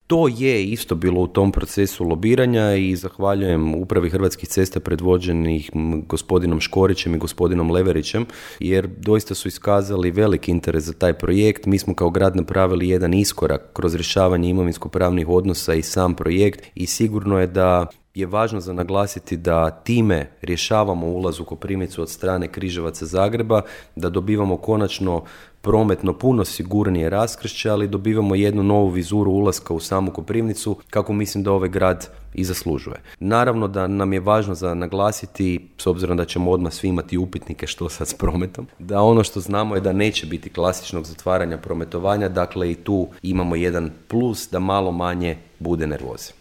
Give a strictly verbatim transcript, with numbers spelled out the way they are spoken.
To je isto bilo u tom procesu lobiranja i zahvaljujem upravi Hrvatskih cesta predvođenih gospodinom Škorićem i gospodinom Leverićem, jer doista su iskazali veliki interes za taj projekt. Mi smo kao grad napravili jedan iskorak kroz rješavanje imovinsko-pravnih odnosa i sam projekt i sigurno je da je važno za naglasiti da time rješavamo ulaz u Koprivnicu od strane Križevaca Zagreba, da dobivamo konačno prometno puno sigurnije raskršće, ali dobivamo jednu novu vizuru ulaska u samu Koprivnicu, kako mislim da ovaj grad i zaslužuje. Naravno da nam je važno za naglasiti, s obzirom da ćemo odmah svi imati upitnike što sad s prometom, da ono što znamo je da neće biti klasičnog zatvaranja prometovanja, dakle i tu imamo jedan plus da malo manje bude nervoze.